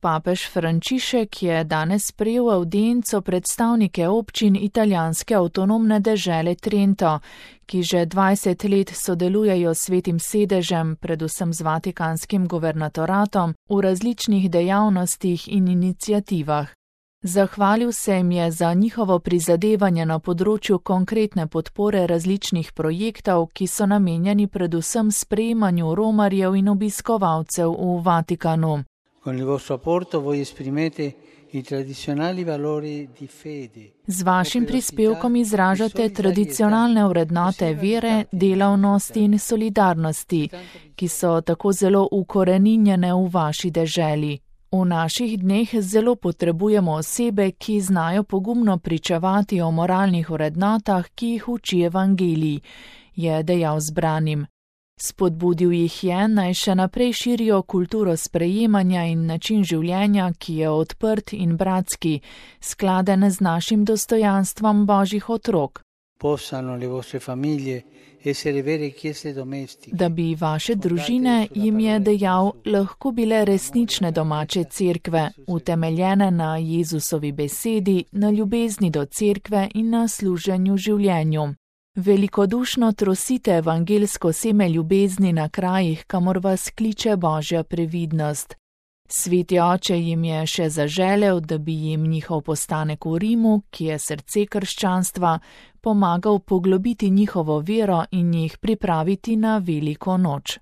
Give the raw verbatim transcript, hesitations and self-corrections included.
Papež Frančišek je danes sprejel avdienco predstavnike občin italijanske avtonomne dežele Trento, ki že dvajset let sodelujejo s Svetim sedežem, predvsem z Vatikanskim guvernatoratom, v različnih dejavnostih in iniciativah. Zahvalil se jim je za njihovo prizadevanje na področju konkretne podpore različnih projektov, ki so namenjeni predvsem sprejemanju romarjev in obiskovalcev v Vatikanu. Con il vostro apporto voi esprimete i tradizionali valori di fede. Z vašim prispevkom izražate tradicionalne vrednote vere, delavnosti in solidarnosti, ki so tako zelo ukoreninjene v vaši deželi. V naših dneh zelo potrebujemo osebe, ki znajo pogumno pričevati o moralnih vrednotah, ki jih uči evangelij, je dejal zbranim. Spodbudil jih je, naj še naprej širijo kulturo sprejemanja in način življenja, ki je odprt in bratski, skladen z našim dostojanstvom Božjih otrok. Da bi vaše družine, jim je dejal, lahko bile resnične domače cerkve, utemeljene na Jezusovi besedi, na ljubezni do cerkve in na služenju življenju. Velikodušno trosite evangelsko seme ljubezni na krajih, kamor vas kliče Božja previdnost. Sveti oče jim je še zaželel, da bi jim njihov postanek v Rimu, ki je srce krščanstva, pomagal poglobiti njihovo vero in jih pripraviti na veliko noč.